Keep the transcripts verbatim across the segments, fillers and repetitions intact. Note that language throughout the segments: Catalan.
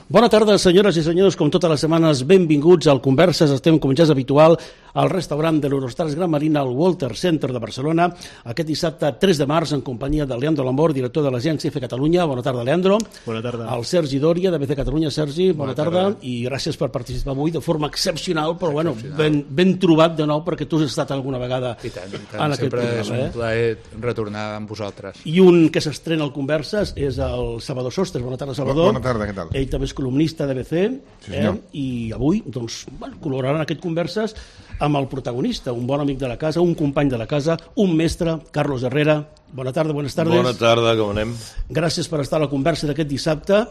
Bona tarda, senyores i senyors, com totes les setmanes, benvinguts al Converses. Estem, com ja és habitual, al restaurant de l'Eurostars Gran Marina, al Walter Center de Barcelona, aquest dissabte tres de març, en companyia de Leandro Lambor, director de l'agència F Catalunya. Bona tarda, Leandro. Bona tarda. El Sergi Dòria, de B C Catalunya. Sergi, bona, bona tarda. tarda. I gràcies per participar avui de forma excepcional, però bueno, ben, ben trobat de nou, perquè tu has estat alguna vegada I tant, i tant. en aquest Sempre programa. és un plaer retornar amb vosaltres. I un que s'estrena al Converses és el Salvador Sostres. Bona tarda, Salvador. Bona tarda, què tal? Ell també és columnista de B C, Sí, eh? I avui doncs, bueno, col·laboraran aquest Converses amb el protagonista, un bon amic de la casa, un company de la casa, un mestre, Carlos Herrera. Bona tarda, bones tardes. Bona tarda, com anem? Gràcies per estar a la conversa d'aquest dissabte,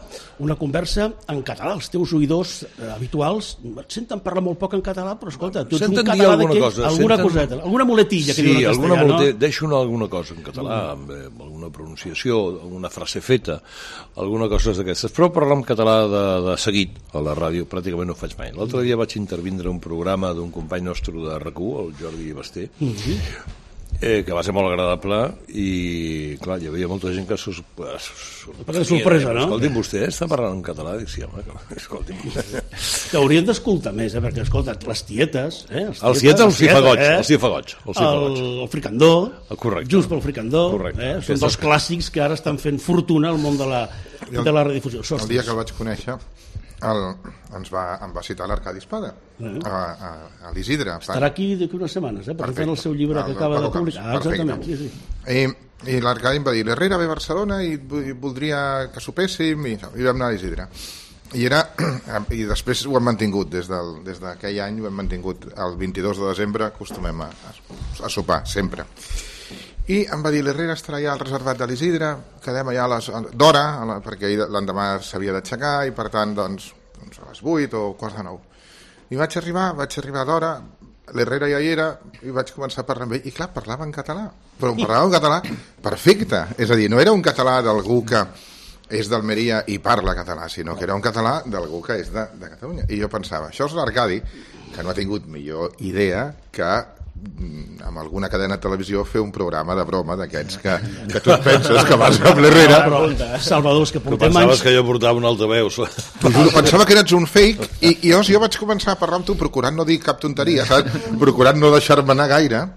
una conversa en català. Els teus oïdors eh, habituals et senten parlar molt poc en català, però escolta, tu ets senten un català alguna d'aquells, cosa, alguna senten... coseta, alguna muletilla que sí, diuen en alguna castellà, mulete... no? Deixo una, alguna cosa en català, amb, eh, amb alguna pronunciació, alguna frase feta, alguna cosa d'aquestes, però parlar en català de, de seguit a la ràdio pràcticament no ho faig mai. L'altre dia vaig intervindre un programa d'un company nostre de R A C U, el Jordi Basté, mm-hmm. Eh, que va ser molt agradable i clar, hi havia molta gent que sus... de sorpresa, no? Escolti'm, vostè està parlant en català? Dic, sí, home, escolti'm. T'haurien d'escoltar més, eh? Perquè, escolta, les tietes... Eh? Els tietes, els tietes, els cifagots, eh? els cifagots, els cifagots. El, el fricandó, correcte. Just pel fricandó, correcte. Eh? Són dels clàssics que ara estan fent fortuna al món de la, el, de la redifusió. Sostres. El dia que el vaig conèixer, el, ens va, em va citar l'Arcadi Espada, uh-huh. a, a, a l'Isidre. Estarà aquí d'aquí unes setmanes, eh? Presentant el seu llibre que acaba de publicar. Ah, exactament, sí, sí. I, i l'Arcadi em va dir, l'Herrera ve a Barcelona i, i voldria que sopéssim, i, i vam anar a l'Isidre. I, era, i després ho hem mantingut, des del, des d'aquell any ho hem mantingut, el vint-i-dos de desembre acostumem a, a sopar, sempre. I em va dir, l'Herrera estarà allà al reservat de l'Isidre, quedem allà a les, d'hora, perquè l'endemà s'havia d'aixecar i per tant, doncs, doncs a les vuit o quarts de nou. I vaig arribar, vaig arribar d'hora, l'Herrera ja hi era i vaig començar a parlar amb ell, i clar, parlava en català, però em parlava en català perfecte, és a dir, no era un català d'algú que és d'Almeria i parla català, sinó que era un català d'algú que és de, de Catalunya. I jo pensava, això és l'Arcadi, que no ha tingut millor idea que amb alguna cadena de televisió fer un programa de broma d'aquests que, que tu et penses que vas amb l'Herrera. Salvador, és que portem pensaves anys... que jo portava un altaveu. Pensava que eres un fake i, i llavors jo vaig començar a parlar amb tu procurant no dir cap tonteria, saps? Procurant no deixar-me anar gaire,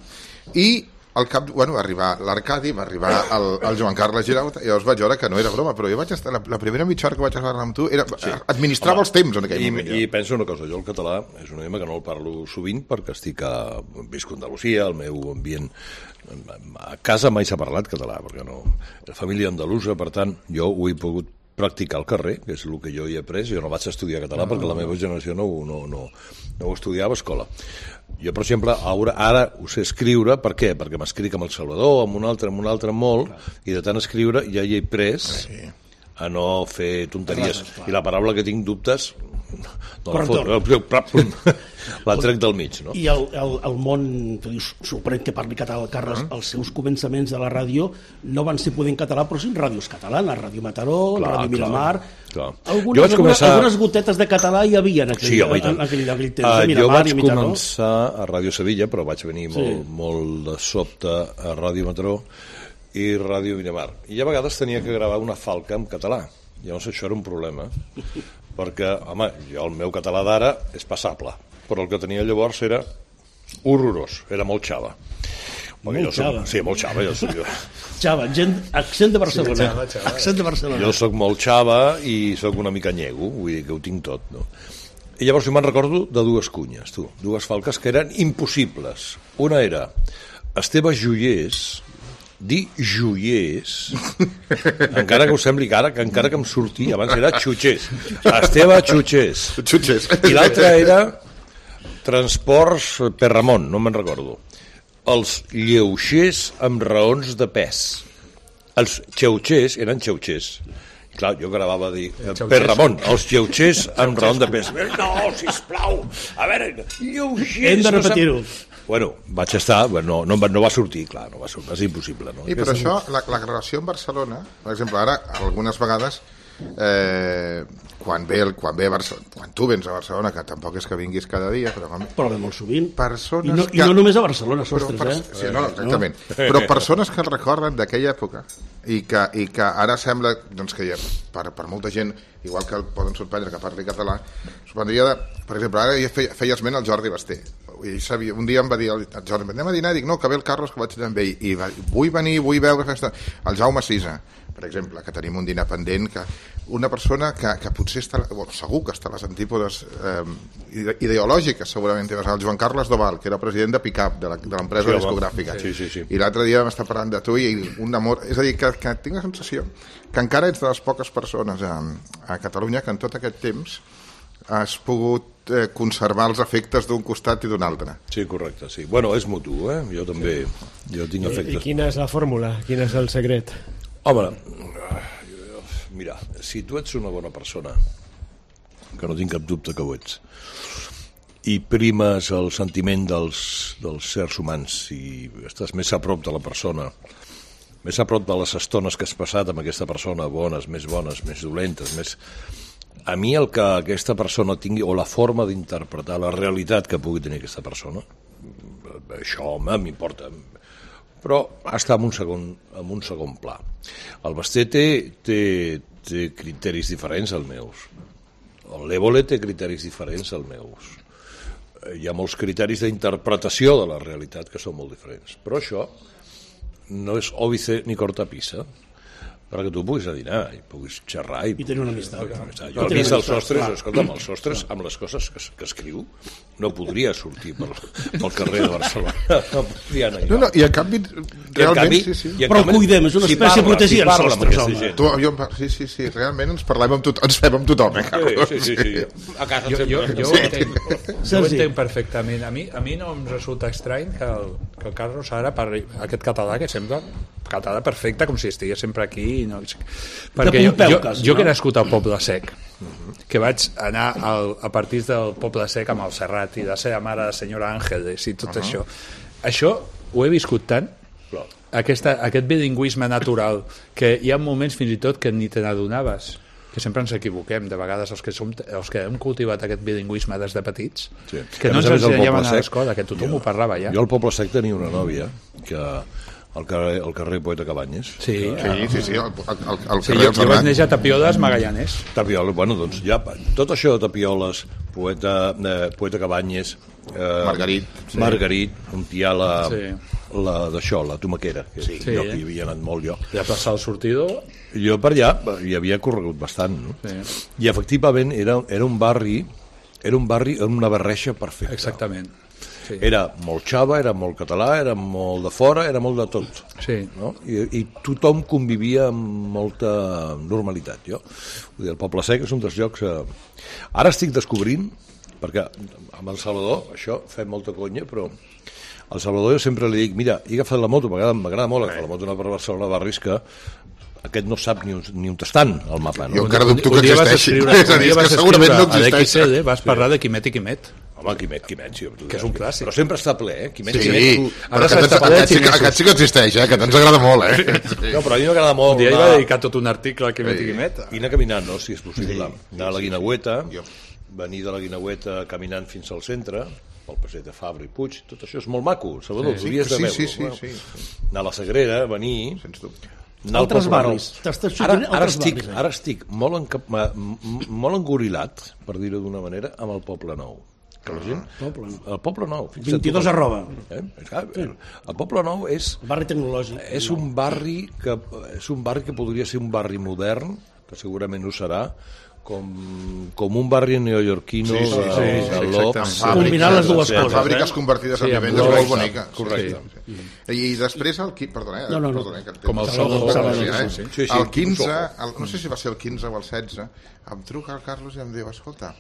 i al cap, bueno, va arribar l'Arcadi, va arribar el, el Joan Carles Girauta, i llavors vaig veure que no era broma, però jo vaig estar, la, la primera mitja hora que vaig parlar amb tu era, sí. administrava Home, els temps en aquell i, moment. I penso una cosa, jo el català és un idioma que no el parlo sovint perquè estic a, visc a Andalusia, el meu ambient a casa mai s'ha parlat català, perquè no, la família andalusa, per tant, jo ho he pogut practicar al carrer, que és el que jo hi he après. Jo no vaig estudiar català no, perquè la meva generació no, no, no, no ho estudiava a escola. Jo, per exemple, ara, ara ho sé escriure, per què? Perquè m'escric amb el Salvador, amb un altre, amb un altre molt, i de tant escriure ja hi he pres sí. a no fer tonteries. I la paraula que tinc dubtes no la fot, la trec del mig, no? I el, el, el món, que dius, sorprèn que parli català el Carles, uh-huh. els seus començaments de la ràdio no van ser poder en català, però sí en ràdios catalanes, Ràdio Mataró, clar, Ràdio Miramar... Clar. Algunes, jo vaig començar... algunes gotetes de català hi havia en aquell, sí, home, en aquell, en aquell temps, uh, de Miramar jo vaig i Mitaró. començar a Ràdio Sevilla, però vaig venir sí. molt, molt de sobte a Ràdio Mataró i Ràdio Miramar. I a vegades tenia que gravar una falca en català. Llavors això era un problema, perquè, home, jo el meu català d'ara és passable, però el que tenia llavors era horrorós, era molt xava. Molt jo xava? Soc, sí, molt xava. Jo soc, jo. Xava, gent, accent de Barcelona. Sí, xava, xava. Accent de Barcelona. Jo soc molt xava i soc una mica nyego, vull dir que ho tinc tot, no? I llavors jo me'n recordo de dues cunyes, tu, dues falques que eren impossibles. Una era Esteve Joiers, dir joiers, encara que us sembli que ara, que encara que em surti, abans era xutxers. Esteve Xutxers. Xutxers. I l'altra era Transports per Ramon, no me'n recordo. Els lleuixers amb raons de pes. Els xeuxers eren xeuxers. Clar, jo gravava a dir, per Ramon, els lleuixers amb raons de pes. No, sisplau, a veure, lleuixers... Hem de repetir-ho. Bueno, vaig estar, no, no, no va sortir, clar, no va sortir, va ser impossible. No? I per això, la, la relació amb Barcelona, per exemple, ara, algunes vegades, eh, quan, ve el, quan, ve a Barcelona, quan tu vens a Barcelona, que tampoc és que vinguis cada dia, però, quan... però ve molt sovint. Persones I, no, que... I no només a Barcelona, Sostres, però, eh? Sí, no, exactament. No? Però persones que el recorden d'aquella època i que, i que ara sembla doncs, que ja, per, per molta gent, igual que el poden sorprendre que parli català, sorprendria de... Per exemple, ara ja feia, feia esment el Jordi Basté. I sabia, un dia em va dir el Jordi, anem a dinar, dic, no, que ve el Carlos, que vaig anar amb ell, i va, vull venir, vull veure festa. El Jaume Sisa, per exemple, que tenim un dinar pendent, que una persona que, que potser està, bueno, segur que està a les antípodes eh, ideològiques, segurament, el Joan Carles Doval, que era president de Pickup, de l'empresa sí, discogràfica, sí, sí, sí. i l'altre dia m'està parlant de tu i un amor, és a dir, que, que tinc la sensació que encara ets de les poques persones a, a Catalunya que en tot aquest temps has pogut eh, conservar els efectes d'un costat i d'un altre. Sí, correcte, sí. Bueno, és mutu, eh? Jo també, jo tinc efectes. I, I quina és la fórmula? Quin és el secret? Home, mira, si tu ets una bona persona, que no tinc cap dubte que ho ets, i primes el sentiment dels, dels sers humans i estàs més a prop de la persona, més a prop de les estones que has passat amb aquesta persona, bones, més bones, més dolentes, més... A mi el que aquesta persona tingui, o la forma d'interpretar la realitat que pugui tenir aquesta persona, això, home, m'importa, però està en un segon, en un segon pla. El Basté té, té, té criteris diferents als meus. L'Évole té criteris diferents als meus. Hi ha molts criteris d'interpretació de la realitat que són molt diferents. Però això no és òbice ni cortapisa, perquè tu puguis a dinar i puguis xerrar i, I tenir una amistat. Jo he vist els Sostres, escolta'm, els Sostres amb les coses que, que escriu no podria sortir pel, pel carrer de Barcelona, no podria anar no, no, i en canvi realment canvi, sí, sí. Però el cuidem, és una si espècie parla, protegida, si els Sostres, home. Tu, jo, sí, sí, sí, realment ens parlem amb tothom, ens fem amb tothom, eh, sí, sí, sí, sí. A casa jo, jo, jo, ho entenc, jo ho entenc perfectament. A mi, a mi no em resulta estrany que el, que el Carlos ara parli aquest català que sembla català perfecte, com si estigués sempre aquí. No? Perquè jo, jo, jo que he nascut al Poble Sec, que vaig anar al, a partir del Poble Sec amb el Serrat i la seva mare, la senyora Àngeles i tot uh -huh. això. Això ho he viscut tant, aquesta, aquest bilingüisme natural, que hi ha moments fins i tot que ni te n'adonaves, que sempre ens equivoquem, de vegades els que, som, els que hem cultivat aquest bilingüisme des de petits, sí. que no ens ensenyaven a l'escola, que tothom jo, ho parlava ja. Jo al Poble Sec tenia una nòvia que al carrer, al carrer Poeta Cabanyes. Sí, sí, sí, sí, el, el, el sí, carrer jo, jo vaig néixer a Tapioles, Magallanes. Tapioles, bueno, doncs ja, tot això de Tapioles, Poeta, eh, Poeta Cabanyes, eh, Margarit, sí. Margarit, on hi ha la, sí. la d'això, la tomaquera, que és sí. un lloc que hi havia anat molt jo. I a plaça del Sortidor? Jo per allà hi havia corregut bastant, no? Sí. I efectivament era, era un barri, era un barri amb una barreja perfecta. Exactament. Sí. Era molt xava, era molt català, era molt de fora, era molt de tot. Sí. No? I, I tothom convivia amb molta normalitat. Jo, vull dir, el Poble Sec és un dels llocs... Eh... Ara estic descobrint, perquè amb el Salvador, això fem molta conya, però al Salvador jo sempre li dic, mira, he agafat la moto, m'agrada molt agafar la moto, anar per Barcelona, barris que aquest no sap ni on, ni on estan al mapa. No? Jo encara dubto que existeixi. És a dir, que segurament no existeix. A l'X L vas parlar de Quimet i Quimet. Home, Quimet, Quimet, sí. Que és un clàssic. Però sempre està ple, eh? Quimet, sí, Quimet, tu... però aquest, aquest, sí, aquest sí que existeix, eh? Que ens agrada molt, eh? No, però a mi m'agrada molt. Un dia hi va dedicar tot un article a Quimet sí. i Quimet. I anar caminant, no?, si és possible. Sí. Anar a la Guinagüeta, venir de la Guinagüeta caminant fins al centre, pel passeig de Fabra i Puig, tot això és molt maco, Salvador, sí, hauries sí, de veure. Sí, sí, sí, sí. Anar a la Sagrera, venir... Sens dubte. Altres barris. Ara, ara, estic, ara estic molt, encap, molt engorilat, per dir-ho d'una manera, amb el Poble Nou. Que la gent, Poble. El Poble Nou. vint-i-dos arroba. Eh? El Poble Nou és... El barri tecnològic. És un barri que, és un barri que podria ser un barri modern, que segurament ho serà, com, com un barri neoyorquino sí, sí, sí, sí, de l'Oc. Combinant les dues coses. Fàbriques eh? convertides sí, en vivendes molt boniques. Correcte. Sí, sí. I després el... Perdona, eh? No, no, no. Perdona, que com el Soho. Eh? Sí, sí, el quinze, el, no sé si va ser el quinze o el setze, em truca el Carlos i em diu, escolta,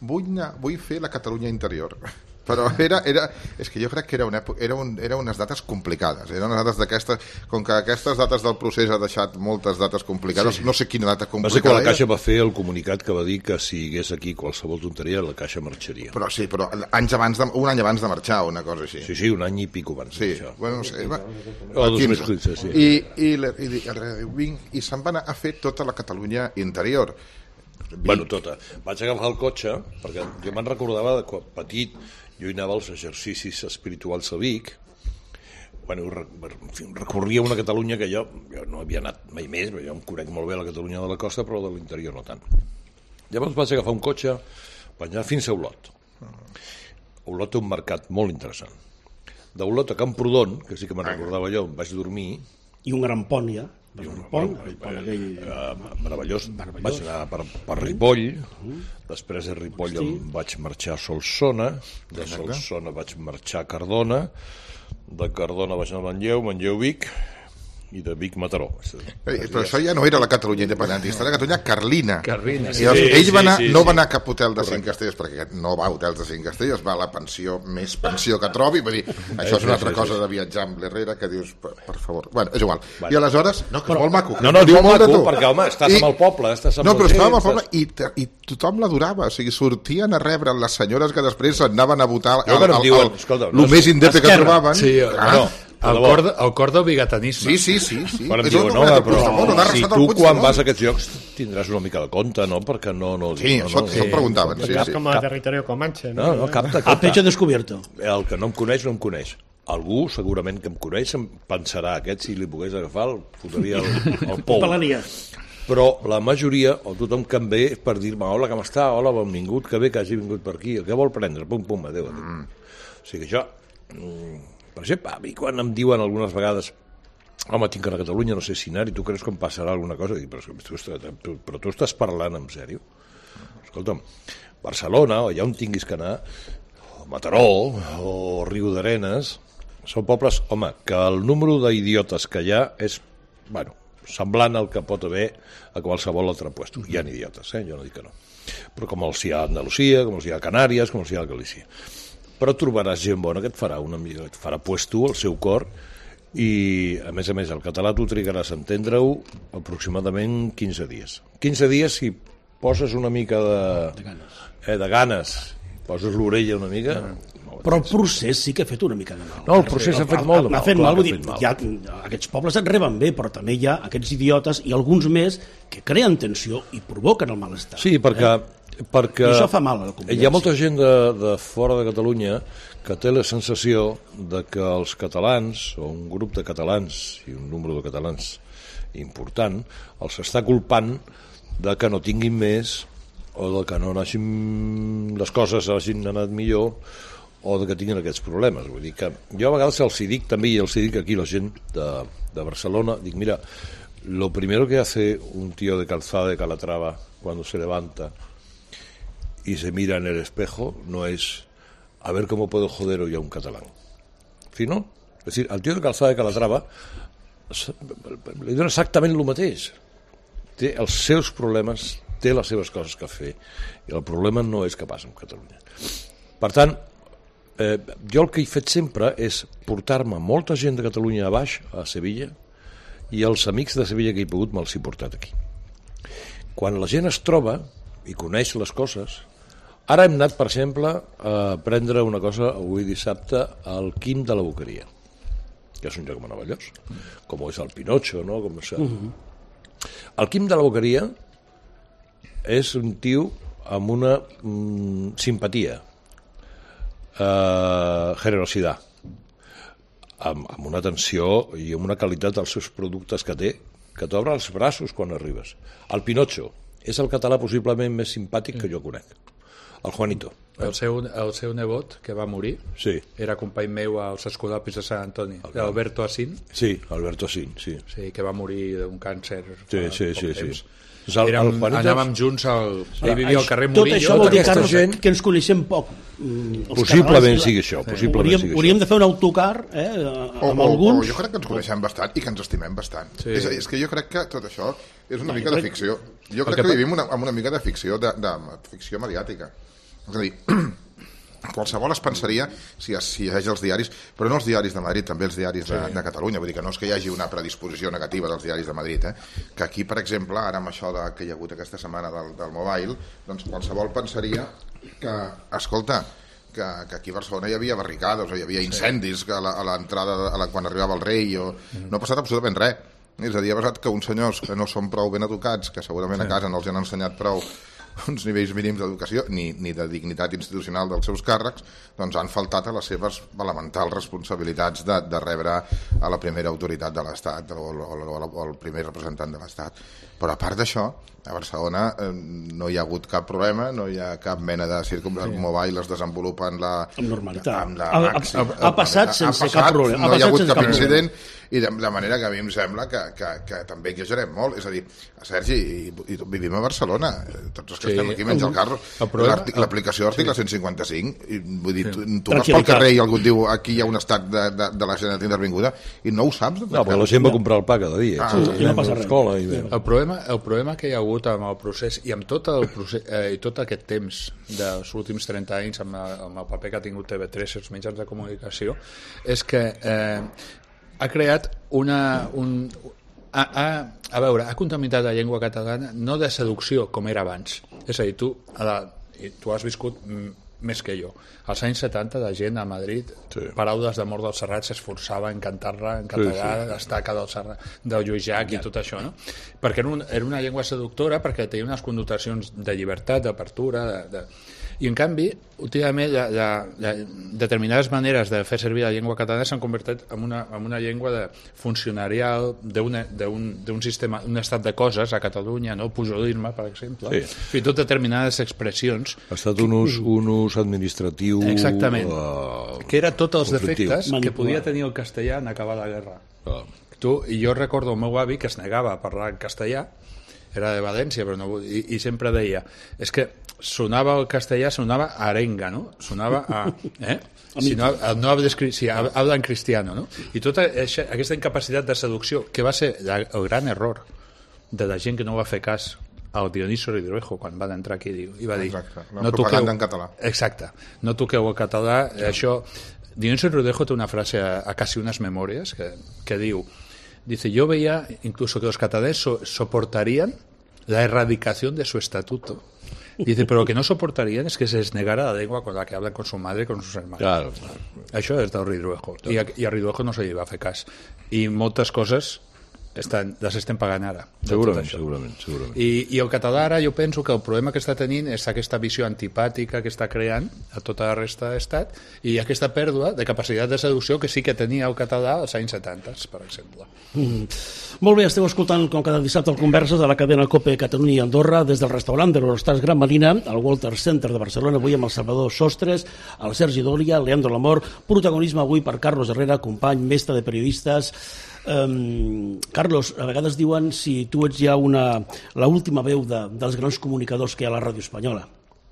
vull, anar, vull fer la Catalunya interior. però era, era, és que jo crec que era, una, era, un, era unes dates complicades, eren unes dates d'aquestes, com que aquestes dates del procés ha deixat moltes dates complicades, sí. No sé quina data complicada. Va ser quan la Caixa va fer el comunicat que va dir que si hi hagués aquí qualsevol tonteria la Caixa marxaria. Però sí, però anys abans de, un any abans de marxar o una cosa així. Sí, sí, un any i pico abans sí. de marxar. Bueno, no sé, va, o dos més quinze, sí. I, i, i, i, i se'n van a fer tota la Catalunya interior. Bueno, tota. Vaig agafar el cotxe, perquè jo me'n recordava de quan petit, jo hi anava als exercicis espirituals a Vic, bueno, recorria una Catalunya que jo, jo no havia anat mai més, jo em conec molt bé la Catalunya de la costa, però de l'interior no tant. Llavors vaig agafar un cotxe, vaig anar fins a Olot. Olot té un mercat molt interessant. D'Olot a Camprodon, que sí que me'n recordava jo, vaig dormir... I un gran pont, ja. I un pont, el pont aquell... Uh, meravellós. meravellós. Vaig anar per, per Ripoll, uh-huh. Després de Ripoll em vaig marxar a Solsona, de Solsona vaig marxar a Cardona, de Cardona vaig anar a Manlleu, Manlleu Vic, i de Vic Mataró. Eh, però això ja no era la Catalunya independentista, era la Catalunya carlina. Carlina, sí. I els, ell va anar, sí, sí, no va anar a cap hotel de cinc estrelles, perquè no va a hotels de cinc estrelles, va a la pensió més pensió que trobi, vull dir, això és una altra cosa de viatjar amb l'Herrera, que dius, per, per favor, bueno, és igual. Bueno. I aleshores, no, que és molt maco. No, no, diu molt maco, perquè, home, estàs I, amb el poble, estàs amb no, però estàvem al poble estàs... i, i tothom l'adorava, o sigui, sortien a rebre les senyores que després anaven a votar el, el, el, el, escolta, el més indepte que trobaven. Sí, ah, no. El cor, de, el cor del bigatanisme. Sí, sí, sí. sí. Quan em diuen, no, però si tu quan vas a aquests llocs tindràs una mica de compte, no? Perquè no... no sí, no, això no, se'm preguntaven. Sí, cap sí. com a territori comanche. No, no, capta, capta. A pecho descubierto. El que no em coneix, no em coneix. Algú, segurament que em coneix, em pensarà aquest, si li pogués agafar, el fotria el, el pou. Però la majoria, o tothom que em ve, és per dir-me, hola, com està? Hola, benvingut, que bé que hagi vingut per aquí. Què vol prendre? Pum, pum, adéu, adéu. Mm. O sigui que això... Per exemple, a mi quan em diuen algunes vegades home, tinc a Catalunya, no sé si anar, i tu creus que em passarà alguna cosa? Dic, però, tu, tu, però tu estàs parlant en sèrio? Escolta'm, Barcelona, o allà on tinguis que anar, o Mataró, o Riu d'Arenes, són pobles, home, que el número d'idiotes que hi ha és, bueno, semblant al que pot haver a qualsevol altre puesto. Hi ha idiotes, eh? Jo no dic que no. Però com els hi ha a Andalusia, com els hi ha a Canàries, com els hi ha a Galícia. Però trobaràs gent bona que et farà una mica, et farà puesto al seu cor, i a més a més el català tu trigaràs a entendre-ho aproximadament quinze dies. quinze dies si poses una mica de, de ganes, eh, de ganes poses l'orella una mica... No. Però el procés sí que ha fet una mica de mal. No, el procés ha fet molt de mal. Ha fet mal, vull dir, ja, aquests pobles et reben bé, però també hi ha aquests idiotes i alguns més que creen tensió i provoquen el malestar. Sí, perquè... Eh? perquè I això fa mal a la convivència. Hi ha molta gent de, de fora de Catalunya que té la sensació de que els catalans, o un grup de catalans i un número de catalans important, els està culpant de que no tinguin més, o de que no hagin, les coses hagin anat millor, o de que tinguin aquests problemes. Vull dir que jo a vegades els hi dic també, i els hi dic aquí la gent de, de Barcelona, dic, mira, lo primero que hace un tío de Calzada de Calatrava cuando se levanta y se mira en el espejo no es a ver cómo puedo joder hoy a un catalán, sino, es decir, al tío de Calzada de Calatrava li dona exactament el mateix, té els seus problemes, té les seves coses que fer, i el problema no és que passa amb Catalunya. Per tant, eh, jo el que he fet sempre és portar-me molta gent de Catalunya a baix, a Sevilla, i els amics de Sevilla que he pogut me'ls he portat aquí. Quan la gent es troba i coneix les coses, ara hem anat, per exemple, a prendre una cosa avui dissabte al Quim de la Boqueria, que és un lloc meravellós, com és el Pinocho, no? Com és... Uh-huh. El Quim de la Boqueria és un tio amb una mm, simpatia, eh, generositat, amb, amb una atenció i amb una qualitat dels seus productes que té, que t'obre els braços quan arribes. El Pinocho és el català possiblement més simpàtic que jo conec. El Juanito. El seu, el seu nebot, que va morir, sí. Era company meu als escolapis de Sant Antoni, okay. Alberto Asín. Sí, Alberto Asín, sí. Sí, que va morir d'un càncer sí, fa sí, poc sí, temps. Sí. El, Érem, el Juanito... Anàvem junts, al, ell vivia al carrer Murillo. Murillo. Tot això vol dir, Carlos, gent... que ens coneixem poc. Possiblement sigui això, possiblement hauríem, sigui hauríem això. de fer un autocar eh, amb o, alguns. O, o jo crec que ens coneixem bastant i que ens estimem bastant. Sí. És, és que jo crec que tot això és una no, mica de ficció. Jo crec que, que vivim una, amb una mica de ficció, de, de ficció mediàtica. És a dir, qualsevol es pensaria, si, si llegeix els diaris, però no els diaris de Madrid, també els diaris de, de Catalunya, vull dir que no és que hi hagi una predisposició negativa dels diaris de Madrid, eh? Que aquí, per exemple, ara amb això de, que hi ha hagut aquesta setmana del, del mobile, doncs qualsevol pensaria que, escolta, que, que aquí a Barcelona hi havia barricades, o hi havia incendis que a l'entrada, la, quan arribava el rei, o... no ha passat absolutament res. És a dir, ha passat que uns senyors que no són prou ben educats, que segurament a casa no els han ensenyat prou uns nivells mínims d'educació ni, ni de dignitat institucional dels seus càrrecs, doncs han faltat a les seves elementals responsabilitats de, de rebre a la primera autoritat de l'Estat o, o, o, o el primer representant de l'Estat. Però a part d'això, a Barcelona eh, no hi ha hagut cap problema, no hi ha cap mena de circumstància, sí. Mobile es desenvolupa en la... Amb normalitat. Amb la ha, màxima, ha, ha, ha passat sense ha passat, cap problema. No ha hi ha hagut cap, cap incident, problema. I de, de manera que a mi em sembla que, que, que també exagerem molt. És a dir, Sergi, i, i vivim a Barcelona, tots els que sí. estem aquí menys el carro, l'aplicació de l'article cent cinquanta-cinc, i, vull dir, sí. tu, tu vas pel carrer i algú et diu aquí hi ha un estat de, de, de la Generalitat intervinguda i no ho saps. No, però la gent va comprar el pa cada dia. Ah, sí, sí, no passa res. I el, problema, el problema que hi ha hagut amb el procés i amb tot, el procés, eh, i tot aquest temps dels últims trenta anys amb, amb el paper que ha tingut T V tres i els mitjans de comunicació és que eh, ha creat una... Un, a, a, a veure, ha contaminat la llengua catalana no de seducció com era abans. És a dir, tu, a la, tu has viscut més que jo. Als anys setanta la gent a Madrid, sí. Paraules d'amor del Serrat s'esforçava en cantar-la en català, sí, sí. L'estaca del Serrat, del Lluís Llach i tot això, no? Perquè era, un, era una llengua seductora, perquè tenia unes connotacions de llibertat, d'apertura, de, de... i en canvi, últimament, la, la, la, determinades maneres de fer servir la llengua catalana s'han convertit en una, en una llengua de funcionarial d'un sistema, un estat de coses a Catalunya, no? Pujolisme, per exemple, sí. Fins i tot determinades expressions. Ha estat un ús, un ús administratiu... Exactament, uh, que era tots els conflictiu. Defectes Manipular. Que podia tenir el castellà en acabar la guerra. Uh. Tu, i jo recordo el meu avi que es negava a parlar en castellà, era de València, però no, i, i sempre deia, és que sonava el castellà, sonava a arenga, no? Sonava a... Eh? Si no, no sí, habla en cristiano, no? I tota aquesta incapacitat de seducció, que va ser el gran error de la gent que no va fer cas al Dionisio Ridruejo quan van entrar aquí i va dir... Exacte, la no propaganda toqueu, en català. Exacte, no toqueu el català, sí. Això... Dionisio Ridruejo té una frase a, a casi unas memorias que, que diu, dice, yo veía incluso que los catalanes so, soportarían la erradicación de su estatuto. Dice, pero lo que no soportarían es que se les negara la lengua con la que hablan con su madre y con sus hermanos. Claro, claro. Això és del Ridruejo. I a, i a Ridruejo no se li va fer cas. I moltes coses estan, les estem pagant ara. Segurament, segurament, segurament. I, I el català ara jo penso que el problema que està tenint és aquesta visió antipàtica que està creant a tota la resta de l'estat i aquesta pèrdua de capacitat de seducció que sí que tenia el català als anys setanta, per exemple. Mm. Molt bé, esteu escoltant com cada dissabte el Converses de la cadena COPE Catalunya i Andorra des del restaurant de l'Eurostars Gran Marina al Walter Center de Barcelona, avui amb el Salvador Sostres, el Sergi Dòria, el Leandro Lamor, protagonisme avui per Carlos Herrera, company, mestre de periodistes. Um, Carlos, a vegades diuen si tu ets ja una, l'última veu de, dels grans comunicadors que hi ha a la ràdio espanyola.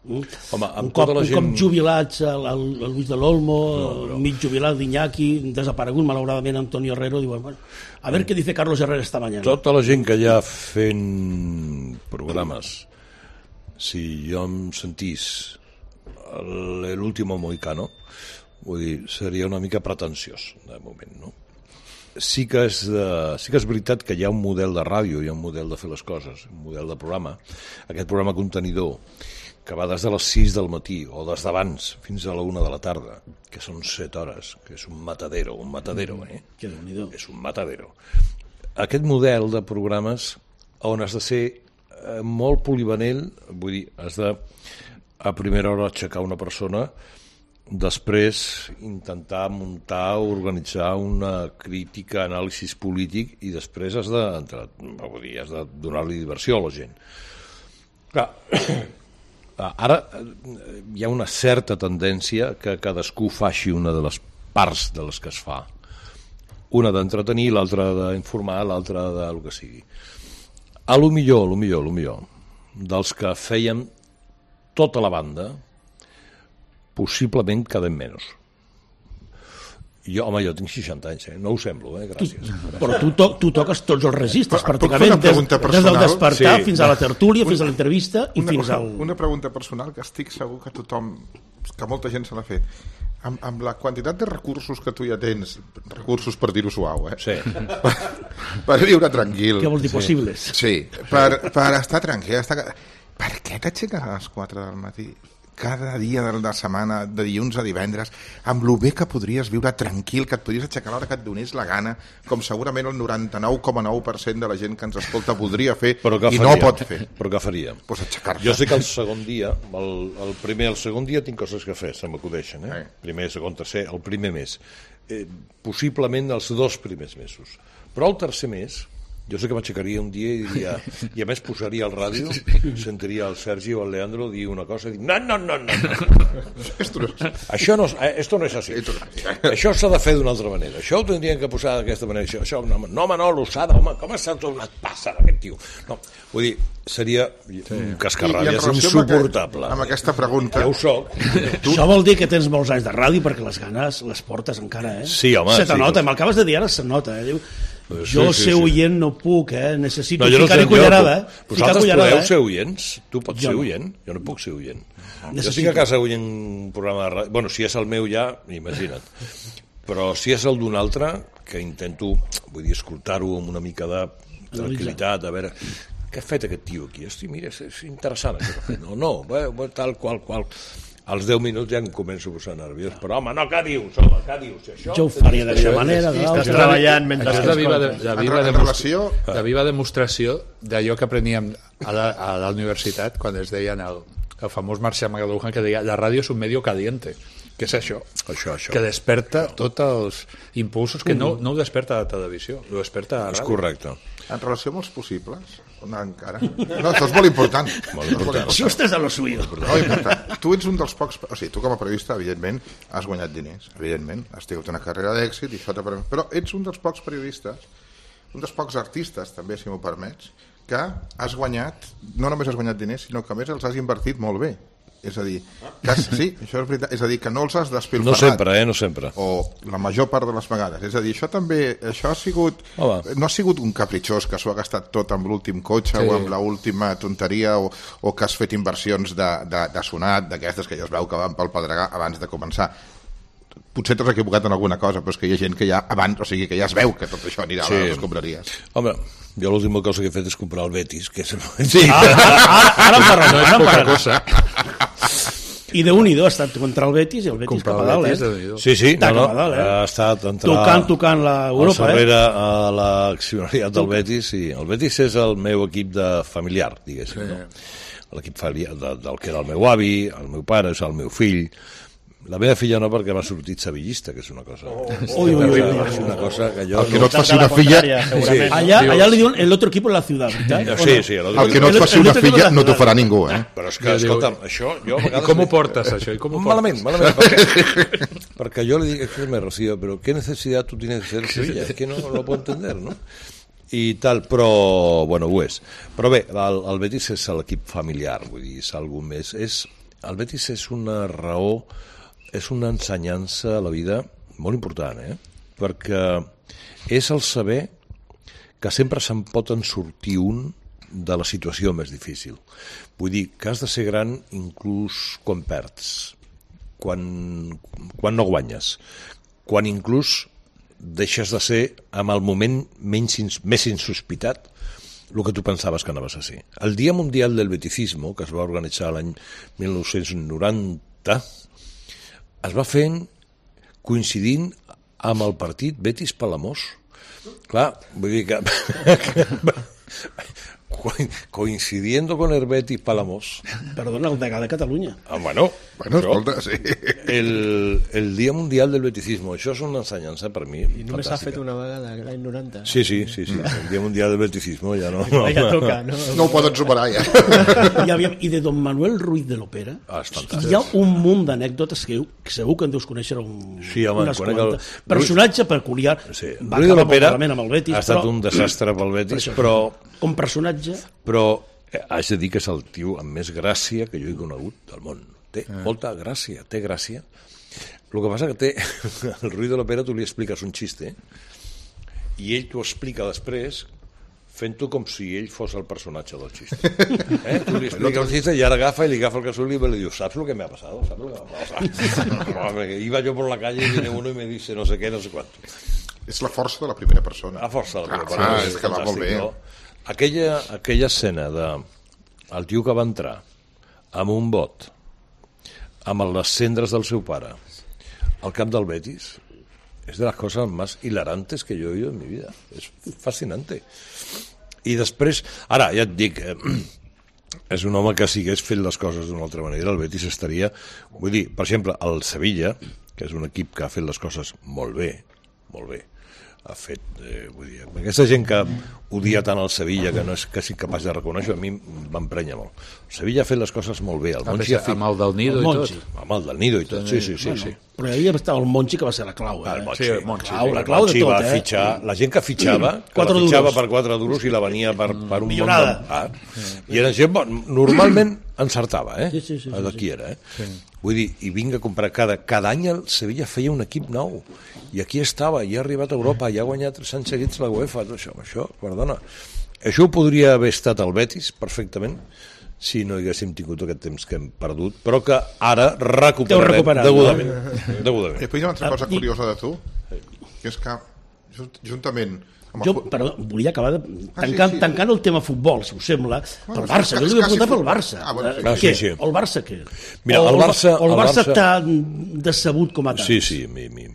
Mm? Home, un, cop, tota la gent... un cop jubilats el, el, el Luis de l'Olmo, no, no. mig jubilat d'Iñaki, desaparegut malauradament Antonio Herrero, diuen, bueno, a ver què dice Carlos Herrera esta mañana. Tota la gent que hi ha fent programes, si jo em sentís l'último mohicano, vull dir, seria una mica pretensiós de moment, no? Sí que, és de, sí que és veritat que hi ha un model de ràdio, hi ha un model de fer les coses, un model de programa. Aquest programa contenidor, que va des de les sis del matí o des d'abans fins a la una de la tarda, que són set hores, que és un matadero, un matadero, eh? Que déu-n'hi-do. És un matadero. Aquest model de programes on has de ser eh, molt polivalent, vull dir, has de a primera hora aixecar una persona, després intentar muntar, organitzar una crítica, anàlisis polític i després has de, vull dir, has de donar-li diversió a la gent. Clar, ara hi ha una certa tendència que cadascú faci una de les parts de les que es fa. Una d'entretenir, l'altra d'informar, l'altra del que sigui. A lo millor, a lo millor, a lo millor, dels que fèiem tota la banda, possiblement quedem menys. Jo, home, jo tinc seixanta anys, eh? No ho semblo, eh? Gràcies. Tu, però tu, to, tu toques tots els registres, però, pràcticament, des, des del despertar sí. fins a la tertúlia, una, fins a l'entrevista i una, fins al... Una pregunta personal que estic segur que tothom que molta gent se l'ha fet, amb, amb la quantitat de recursos que tu ja tens, recursos per dir-ho suau, eh? Sí. Per, per viure tranquil. Què vol dir possibles? Sí, per, per estar tranquil. Estar... Per què t'aixeques a les quatre del matí? Cada dia de la setmana, de dilluns a divendres, amb lo bé que podries viure tranquil, que et podries aixecar a l'hora que et donés la gana, com segurament el noranta-nou coma nou per cent de la gent que ens escolta voldria fer i no pot fer. Però què faria? Pues aixecar-se. Jo sé que el segon dia, el, el primer el segon dia tinc coses que fer, se m'acudeixen, eh? Sí. Primer, segon, tercer, el primer mes. Eh, possiblement els dos primers mesos. Però el tercer mes, jo sé que m'aixecaria un dia i diria, i a més posaria el ràdio, sentiria el Sergi o el Leandro dir una cosa i dir, no, no, no, no, no. Esto no es... Això no, esto no és així. Això s'ha de fer d'una altra manera. Això ho tindrien que posar d'aquesta manera. Això, això, no, no, home, no, l'ossada, home, com s'ha tornat passa aquest tio? No, vull dir, seria un cascarrabias insuportable. Amb aquesta pregunta... Ja ho soc. Tu... Això vol dir que tens molts anys de ràdio perquè les ganes les portes encara, eh? Sí, home. Se te sí, nota, sí. M'acabes de dir ara, se nota, eh? Diu, sí, jo sí, ser sí. oient no puc, eh? Necessito no, ficar-hi no cullerada, eh? Vosaltres cullerada, podeu eh? ser oients? Tu pots jo ser no. oient? Jo no puc ser oient. Necessito. Jo estic a casa oient un programa de ràdio. Bueno, si és el meu ja, imagina't. Però si és el d'un altre, que intento, vull dir, escoltar-ho amb una mica de tranquil·litat, a veure... Què ha fet aquest tio aquí? Hosti, mira, és, és interessant això que ha fet. No, no, bé, bé, tal qual, qual... Als deu minuts ja em començo a posar nerviós. Però, home, no, què dius, home, què dius? Això... Jo ho faria d'aquesta manera. Sí, estàs treballant mentre... Això és la viva, de, la viva, en demostra... relació... la viva demostració d'allò que apreníem a la, a la universitat quan es deien el, el famós Marcial Magaluja que deia la ràdio és un medio caliente. Què és això? Això, això. Que desperta tots els impulsos que no, no ho desperta la televisió, ho desperta la ràdio. És correcte. En relació amb els possibles, no, encara. No, això és molt important. Molt important. Això estàs a lo suyo. No, important. Tu ets un dels pocs... O sigui, tu com a periodista, evidentment, has guanyat diners. Evidentment, has tingut una carrera d'èxit i això t'ha permès... Però ets un dels pocs periodistes, un dels pocs artistes, també, si m'ho permets, que has guanyat... No només has guanyat diners, sinó que a més els has invertit molt bé. És a dir, que has, sí, això és veritat, és a dir, que no els has despilfarrat. No sempre, eh, no sempre. O la major part de les vegades. És a dir, això també, això ha sigut, Home. no ha sigut un capritxós que s'ho ha gastat tot amb l'últim cotxe sí. o amb l'última tonteria o, o que has fet inversions de, de, de sonat, d'aquestes que ja es veu que van pel pedregar abans de començar. Potser t'has equivocat en alguna cosa, però és que hi ha gent que ja abans, o sigui, que ja es veu que tot això anirà sí. a les escombraries. Home, jo l'última cosa que he fet és comprar el Betis, que és... Sí, ara, ara, ara em parla, No és poca cosa. I de un i dos ha estat contra el Betis i el Betis Comprar cap a el dalt, Betis, eh? Déu-n'hi-do. Sí, sí, Està no, no, cap a dalt, eh? ha estat entrar Tocant, tocant la Europa, al darrere eh? a l'accionariat del Betis, i el Betis és el meu equip de familiar, diguéssim, no? L'equip familiar de, del que era el meu avi, el meu pare, és el meu fill. La meva filla no, perquè m'ha sortit sevillista, que és una cosa... Oh, ui, ui, ui, ui. És una cosa que jo... El que no et faci una filla... Sí. Allá, allá le diuen el otro equipo en la ciudad, ¿verdad? Sí, sí. El que no et faci una filla no t'ho farà ningú, eh? Però és que, escolta'm, això... Jo a I vegades com ho li- portes, això? I com ho portes? Malament, malament, perquè, perquè yo le digo, escúchame, Rocío, pero ¿qué necesidad tú tienes de ser Sevilla? Es que no lo puedo entender, ¿no? I tal, però, bueno, ho és. Però bé, el, el Betis és l'equip familiar, vull dir, és algú més. És, el Betis és una raó, és una ensenyança a la vida molt important, eh? Perquè és el saber que sempre se'n pot en sortir un de la situació més difícil. Vull dir, que has de ser gran inclús quan perds, quan, quan no guanyes, quan inclús deixes de ser amb el moment menys, més insospitat el que tu pensaves que anaves a ser. El Dia Mundial del Beticismo, que es va organitzar l'any mil nou-cents noranta, es va fent coincidint amb el partit Betis-Palamós. Clar, vull dir que... coincidiendo con el Betis Palamós. Perdona, el degà de Catalunya. Ah, bueno, Bueno, això, escolta, sí. el, el Dia Mundial del Beticismo, això és una ensenyança per mi I només s'ha fantàstica. fet una vegada, l'any noranta. Sí, sí, sí, sí, el Dia Mundial del Beticismo ja no... No, ja toca, no? No ho poden superar, ja. I, aviam, I de don Manuel Ruiz de l'Opera Ah, és fantàstic. hi ha un munt d'anècdotes que, que segur que en deus conèixer un, Sí, home, unes conec el- quantes. Personatge peculiar. Sí, Va Ruiz de acabar l'Opera molt malament amb el Betis, ha estat però, un desastre pel Betis, això, però, com personatge... però eh, haig de dir que és el tio amb més gràcia que jo he conegut del món. Té molta gràcia, té gràcia. El que passa que té... El Ruiz de l'Opera, tu li expliques un xiste i ell t'ho explica després fent-ho com si ell fos el personatge del xiste. Eh? Tu li expliques el xiste i ara agafa i li agafa el casol i li diu, ¿sabes lo que me ha pasado? ¿Sabes lo que me ha pasado? Iba yo por la calle y viene uno y me dice no sé qué, no sé cuánto. És la força de la primera persona. La força de la primera ah, persona. Ah, és que va molt bé. No? Aquella, aquella escena de el tio que va entrar amb un bot, amb les cendres del seu pare, al camp del Betis, es de las cosas más hilarantes que yo he oído en mi vida. Es fascinante. I després, ara, ja et dic, eh, és un home que si hagués fet les coses d'una altra manera, el Betis estaria... Vull dir, per exemple, el Sevilla, que és un equip que ha fet les coses molt bé, molt bé, ha fet, eh, vull dir, aquesta gent que odia tant el Sevilla, que no és quasi capaç de reconèixer, a mi m'emprenya molt. El Sevilla ha fet les coses molt bé. El Monchi ha fet... Amb el del Nido i tot. Amb el del Nido i tot, sí, sí, sí. Bueno, sí. Però hi havia el Monchi que va ser la clau. Eh? El Monchi, sí, el Monchi, la clau, sí. la clau de tot, va eh? fitxar, la gent que fitxava, que quatre la fitxava duros. per quatre duros i la venia per, per un Millorada. món de... Ah. I era gent, bon, normalment encertava, eh? Sí, sí, sí, sí, D'aquí sí. era, eh? Sí. Vull dir, i vinga a comprar cada, cada any el Sevilla feia un equip nou i aquí estava, i ha arribat a Europa i ha guanyat tres anys seguits la UEFA, això, això, perdona, això podria haver estat el Betis perfectament si no haguéssim tingut aquest temps que hem perdut, però que ara recuperarem degudament. No? degudament. I després hi ha una altra cosa Ah, i- curiosa de tu, que és que junt- juntament amb el Jo, fu- però volia acabar de, Ah, tancant, sí, sí. tancant el tema futbol, si us sembla, Bueno, pel Barça. és Jo li quasi vull preguntar pel futbol. Barça. Ah, bueno, sí. Eh, Ah, què? sí, sí. El Barça què? Mira, o, el Barça- o el el Barça Barça- t'ha decebut com a tal. Sí, sí, a mi, a mi eh,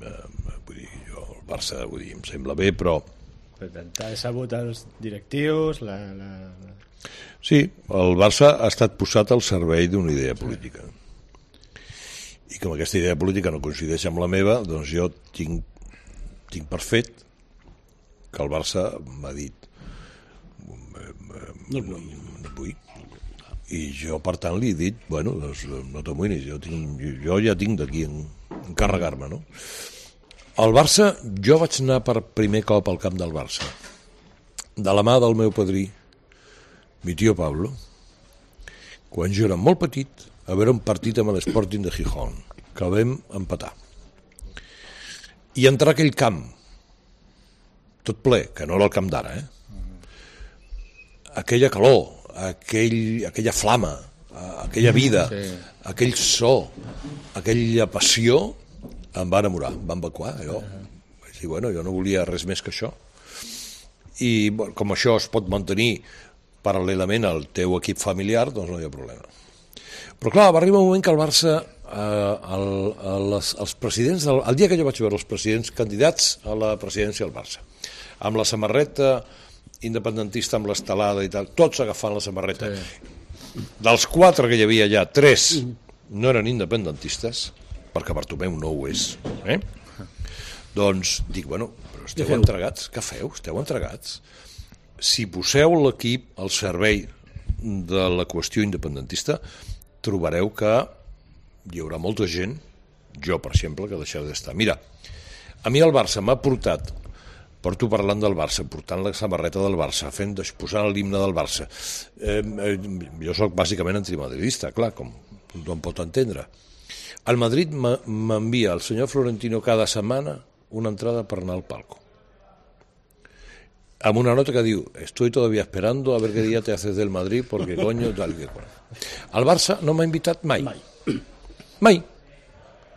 vull dir, jo, el Barça vull dir, em sembla bé, però T'ha sabut els directius, la... la... sí, el Barça ha estat posat al servei d'una idea política. I com aquesta idea política no coincideix amb la meva, doncs jo tinc, tinc per fet que el Barça m'ha dit No et vull. no vull. I jo, per tant, li he dit, bueno, doncs no t'amoïnis, jo, tinc, jo ja tinc d'aquí en, encarregar-me, no? El Barça, jo vaig anar per primer cop al camp del Barça, de la mà del meu padrí, mi tio Pablo, quan jo era molt petit, a veure un partit amb l'Sporting de Gijón, que el vam empatar. I entrar a aquell camp, tot ple, que no era el camp d'ara, eh? Aquella calor, aquell, aquella flama, aquella vida, sí. aquell so, aquella passió, em va enamorar, em va evacuar, jo. Vaig dir, bueno, jo no volia res més que això. I bueno, com això es pot mantenir paral·lelament al teu equip familiar, doncs no hi ha problema. Però clar, va arribar un moment que el Barça, eh, el, el, els, els presidents, del, el dia que jo vaig veure els presidents candidats a la presidència del Barça, amb la samarreta independentista, amb l'estelada i tal, tots agafant la samarreta. Sí. Dels quatre que hi havia allà, tres no eren independentistes, perquè Bartomeu no ho és. Eh? Doncs dic, bueno, però esteu entregats, què feu? Esteu entregats? Si poseu l'equip al servei de la qüestió independentista, trobareu que hi haurà molta gent, jo, per exemple, que deixarà d'estar. Mira, a mi el Barça m'ha portat, porto parlant del Barça, portant la samarreta del Barça, fent, posant l'himne del Barça. Eh, eh, jo sóc bàsicament antimadridista, clar, com tothom pot entendre. Al Madrid m'envia el senyor Florentino cada setmana una entrada per anar al palco, amb una nota que diu, estoy todavía esperando a ver qué día te haces del Madrid porque coño tal que cual. El Barça no m'ha invitat mai. Mai. Mai.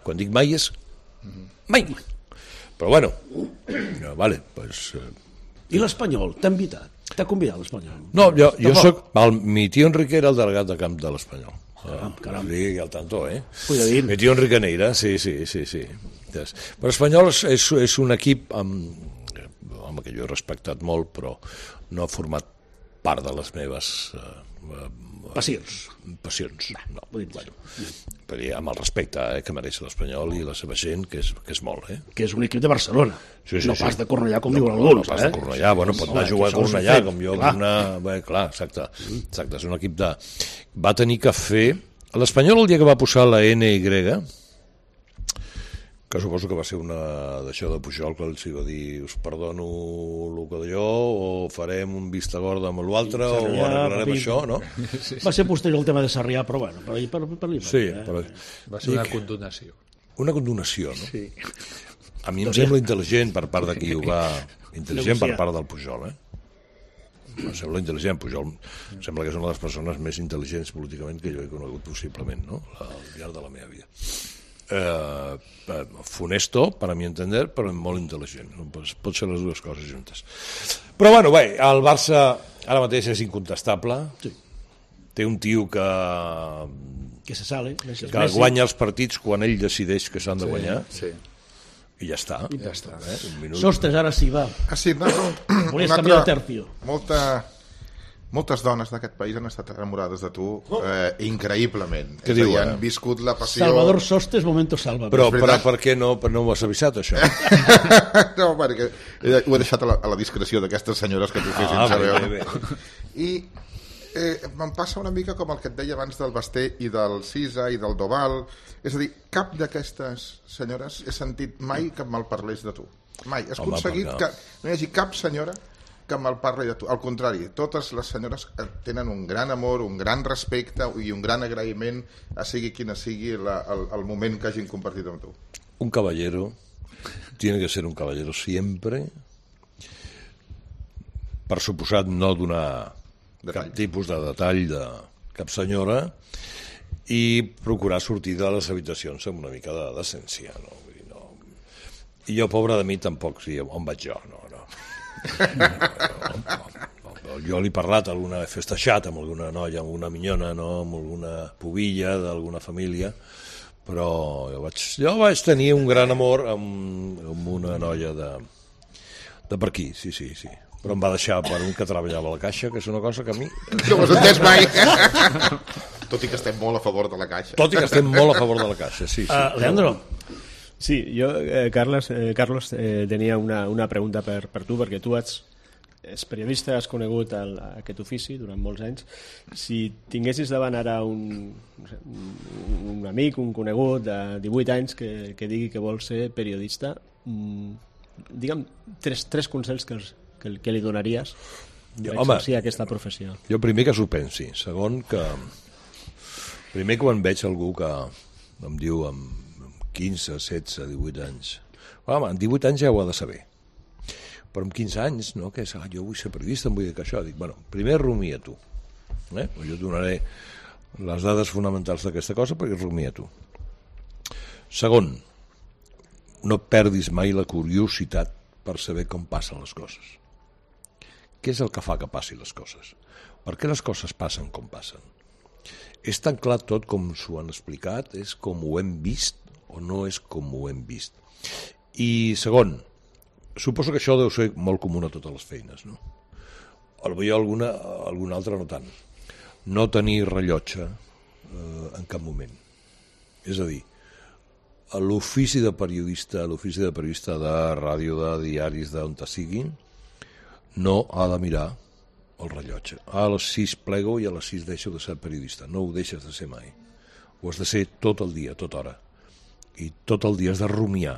Quan dic mai és mai. Però bueno, no, vale, pues... Eh... I l'Espanyol, t'ha invitat? T'ha convidat l'Espanyol? No, jo, jo soc... El, mi tio Enrique era el delegat de camp de l'Espanyol. Caram, caram. Sí, al tanto, eh? Cuidadín. Mi tio Enrique Neira, sí, sí, sí, sí. Però l'Espanyol és, és, és un equip amb, home, que jo he respectat molt, però no ha format part de les meves eh, Passions. passions. No, vull dir, bueno, per dir, amb el respecte eh, que mereix l'Espanyol i la seva gent, que és, que és molt, eh? Que és un equip de Barcelona. Sí, sí, no sí. pas de Cornellà, com no, diuen no, alguns. No pas eh? de Cornellà, bueno, pot anar a jugar a això és Cornellà, fet, com jo, clar. una... Bé, clar, exacte, exacte, és un equip de... Va tenir que fer... L'Espanyol, el dia que va posar la N Y, que suposo que va ser una d'això de Pujol, que els va dir, us perdono el que d'allò, o farem un vista gorda amb l'altre, o Sarrià, arreglarem Papí. això, no? Va ser posterior el tema de Sarrià, però bueno, per, per, per, per, per, Sí, eh? però... Va ser una condonació. Una condonació, no? Sí. A mi em sembla intel·ligent per part de qui ho va... Intel·ligent per Negociar. part del Pujol, eh? em sembla intel·ligent. Pujol em sembla que és una de les persones més intel·ligents políticament que jo he conegut possiblement, no? Al llarg de la meva vida. Eh, funesto, per a mi entender, però molt intel·ligent. Pot ser les dues coses juntes. Però bueno, bé, el Barça ara mateix és incontestable. Sí. Té un tio que... que se sale. Que Messi. Guanya els partits quan ell decideix que s'han de guanyar. Sí. I ja està. I ja està. Eh? Un minut. Sostres, ara sí, va. Ah, sí, no, no. Volies canviar de tercio. Molta... Moltes dones d'aquest país han estat enamorades de tu eh, increïblement. Què diu, han viscut la passió... Salvador Sostres, momento salva. Però, però per què no, per no m'ho has avisat, això? No, perquè ho he deixat a la, a la discreció d'aquestes senyores que t'ho fessin ah, saber. Bé, bé, bé. I eh, me'n passa una mica com el que et deia abans del Basté i del Cisa i del Doval. És a dir, cap d'aquestes senyores he sentit mai que me'l parlés de tu. Mai. Has Home, aconseguit no. que no hi hagi cap senyora que me'l parli de tu. Al contrari, totes les senyores tenen un gran amor, un gran respecte i un gran agraïment a sigui quina sigui la, el, el moment que hagin compartit amb tu. Un caballero tiene que ser un caballero siempre, per suposat no donar detall. Cap tipus de detall de cap senyora i procurar sortir de les habitacions amb una mica de decència, no? Vull dir, no. I jo, pobre de mi, tampoc, sí, on vaig jo, no, no. No, no, no, no. Jo li he parlat alguna, he festejat amb alguna noia, amb una minyona, no? Amb alguna pubilla d'alguna família, però jo vaig, jo vaig tenir un gran amor amb, amb una noia de, de per aquí, sí, sí, sí. Però em va deixar per un que treballava a la Caixa, que és una cosa que a mi... No ho has entès mai. Tot i que estem molt a favor de la Caixa. Tot i que estem molt a favor de la Caixa, sí. sí. Uh, Leandro. Sí, jo, eh, Carles, eh, Carlos, eh, tenia una, una pregunta per, per tu, perquè tu ets, ets periodista, has conegut el, aquest ofici durant molts anys. Si tinguessis davant ara un, no sé, un, un amic, un conegut de divuit anys que, que digui que vol ser periodista, mmm, digue'm tres, tres consells que, els, que, que li donaries per exercir aquesta professió. Jo primer que s'ho pensi, segon que... Primer quan veig algú que em diu amb quinze, setze, divuit anys. Home, amb divuit anys ja ho ha de saber. Però amb quinze anys, no? Que és, ah, jo vull ser periodista, em vull dir que això. Dic, bueno, primer rumia tu. Eh? Jo et donaré les dades fonamentals d'aquesta cosa perquè rumia tu. Segon, no perdis mai la curiositat per saber com passen les coses. Què és el que fa que passin les coses? Per què les coses passen com passen? És tan clar tot com s'ho han explicat? És com ho hem vist? O no és com ho hem vist? I segon, suposo que això deu ser molt comú a totes les feines, no? Potser alguna, alguna altra no tant. No tenir rellotge eh, en cap moment. És a dir, l'ofici de periodista, l'ofici de periodista de ràdio, de diaris, d'on te siguin, no ha de mirar el rellotge. A les sis plego i a les sis deixo de ser periodista. No ho deixes de ser mai. Ho has de ser tot el dia, tota hora. I tot el dia has de rumiar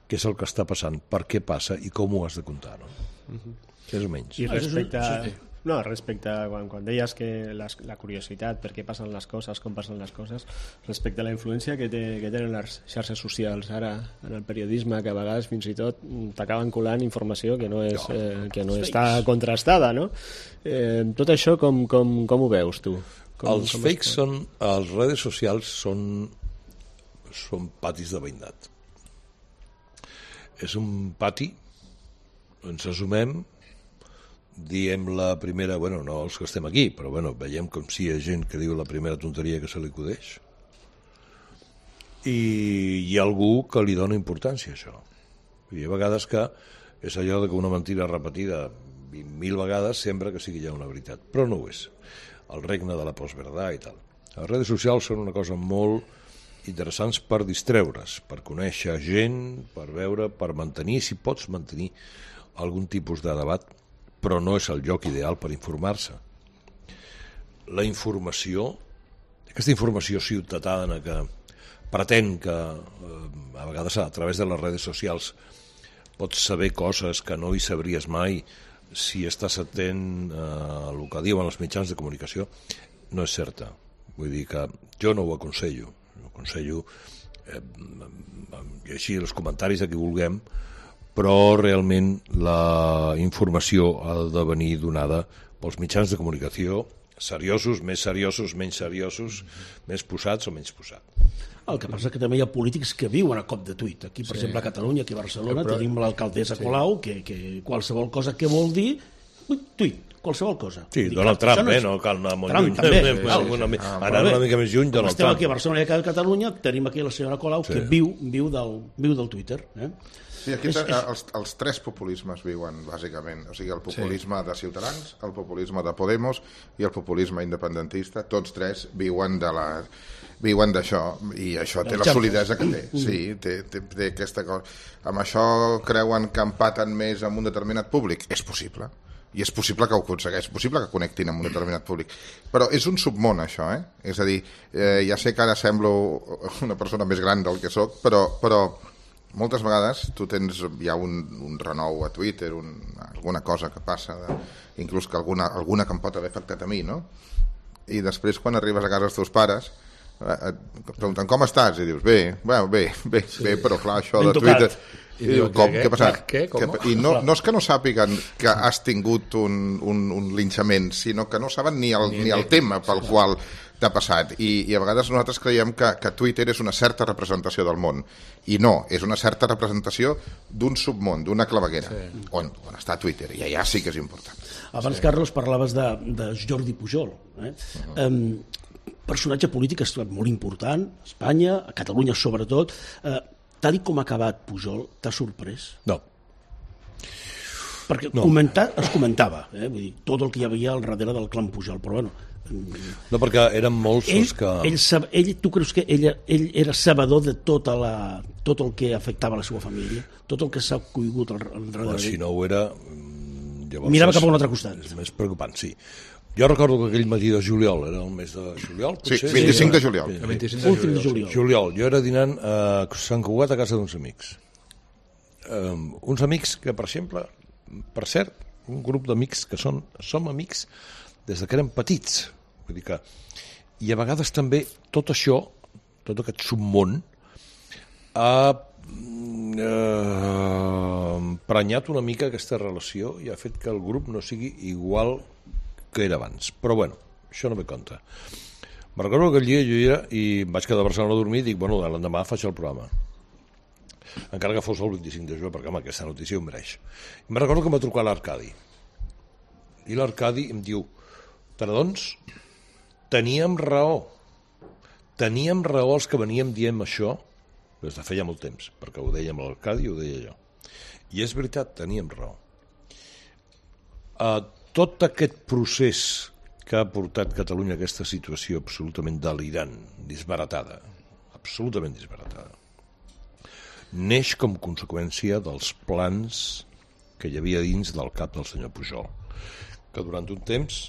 què és el que està passant, per què passa i com ho has de contar, no? Uh-huh. Més o menys. I respecte a, no, respecte a quan, quan deies que les, la curiositat, per què passen les coses, com passen les coses, respecte a la influència que, té, que tenen les xarxes socials ara en el periodisme, que a vegades fins i tot t'acaben colant informació que no, és, eh, que no està contrastada, no? Eh, tot això com, com, com ho veus tu? Com, els com fakes són, les redes socials són són patis de veïnat. És un pati, ens assumem, diem la primera, bueno, no els que estem aquí, però bueno, veiem com si hi ha gent que diu la primera tonteria que se li acudeix. I hi ha algú que li dona importància a això. Hi ha vegades que és allò de que una mentida repetida vint mil vegades sembla que sigui ja una veritat, però no ho és. El regne de la postverdad i tal. Les redes socials són una cosa molt interessants per distreure's, per conèixer gent, per veure, per mantenir, si pots mantenir algun tipus de debat, però no és el lloc ideal per informar-se. La informació, aquesta informació ciutadana que pretén que eh, a vegades a través de les redes socials pots saber coses que no hi sabries mai si estàs atent a el que diuen els mitjans de comunicació, no és certa. Vull dir que jo no ho aconsello. Aconsello eh, llegir els comentaris de qui vulguem, però realment la informació ha de venir donada pels mitjans de comunicació seriosos, més seriosos, menys seriosos, més posats o menys posats. El que passa és que també hi ha polítics que viuen a cop de tuit. Aquí, per sí. exemple, a Catalunya, aquí a Barcelona, però... tenim l'alcaldessa sí. Colau, que, que qualsevol cosa que vol dir, tuit, qualsevol cosa. Sí, Dic, Donald Trump, no és... eh? No cal anar molt Trump, lluny. També, sí, sí, sí. Una, ah, anar una mica més lluny, Donald Estem Trump. aquí a Barcelona i a Catalunya, tenim aquí la senyora Colau, sí. que viu, viu, del, viu del Twitter. Eh? Sí, aquí és, és... Els, els tres populismes viuen, bàsicament. O sigui, el populisme sí. de Ciutadans, el populisme de Podemos i el populisme independentista, tots tres viuen de la... viuen d'això, i això té la solidesa que té. Sí, té, té, té aquesta cosa. Amb això creuen que empaten més amb un determinat públic? És possible. I és possible que ho aconsegueix, és possible que connectin amb un determinat públic. Però és un submón, això, eh? És a dir, eh, ja sé que ara semblo una persona més gran del que sóc, però, però moltes vegades tu tens, hi ha un, un renou a Twitter, un, alguna cosa que passa, de, inclús que alguna, alguna que em pot haver afectat a mi, no? I després, quan arribes a casa dels teus pares, et pregunten com estàs i dius bé, bueno, bé, bé, sí. bé, però clar, això ben de Twitter i, i diu, com, què ha passat? Què? I no, no és que no sàpiguen que has tingut un, un, un linxament, sinó que no saben ni el, ni, ni el tema pel sí. qual t'ha passat, I, i a vegades nosaltres creiem que, que Twitter és una certa representació del món, i no, és una certa representació d'un submón, d'una claveguera, sí. on, on està Twitter, i allà sí que és important. Abans, sí. Carlos, parlaves de, de Jordi Pujol, eh? Uh-huh. Um, personatge polític molt important, a Espanya, a Catalunya sobretot. Eh, tal com ha acabat Pujol, t'ha sorprès? No. Perquè no. Comentar, es comentava, eh? Vull dir, tot el que hi havia al darrere del clan Pujol, però bueno... No, perquè eren molts ell, els que... Ell, ell, tu creus que ell, ell era sabedor de tota la, tot el que afectava la seva família? Tot el que s'ha coigut al, al darrere? Però si no ho era... Llavors mirava cap a un altre costat. És més preocupant, sí. Jo recordo que aquell matí de juliol, era el mes de juliol? Potser? Sí, vint-i-cinc de juliol. Sí, vint-i-cinc de juliol. de juliol. Juliol. Jo era dinant a Sant Cugat a casa d'uns amics. Um, uns amics que, per exemple, per cert, un grup d'amics que són, som amics des que érem petits. Vull dir que... I a vegades també tot això, tot aquest submón, ha eh, emprenyat una mica aquesta relació i ha fet que el grup no sigui igual que era abans, però bueno, això no me compta. Me recordo que aquell dia jo era i em vaig quedar a Barcelona a dormir i dic, bueno, l'endemà faig el programa, encara que fos el vint-i-cinc de juliol, perquè home, aquesta notícia ho mereix. I me recordo que em va trucar l'Arcadi i l'Arcadi em diu, perdons, teníem raó teníem raó els que veníem dient això des de feia molt temps, perquè ho deia amb l'Arcadi i ho deia jo, i és veritat, teníem raó. Uh, tot aquest procés que ha portat Catalunya a aquesta situació absolutament delirant, disbaratada, absolutament disbaratada, neix com conseqüència dels plans que hi havia dins del cap del senyor Pujol, que durant un temps